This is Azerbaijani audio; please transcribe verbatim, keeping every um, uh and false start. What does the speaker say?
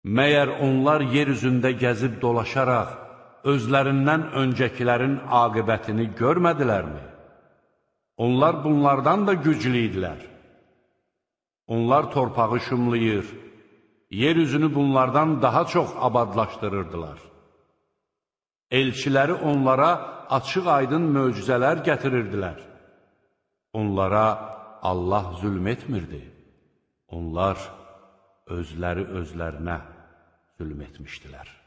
Məyər onlar yer üzündə gəzib dolaşaraq, özlərindən öncəkilərin aqibətini görmədilərmi? Onlar bunlardan da güclü idilər. Onlar torpağı şumlayır, yer üzünü bunlardan daha çox abadlaşdırırdılar. Elçiləri onlara açıq-aydın möcüzələr gətirirdilər. Onlara Allah zülm etmirdi. Onlar özləri özlərinə zülm etmişdilər.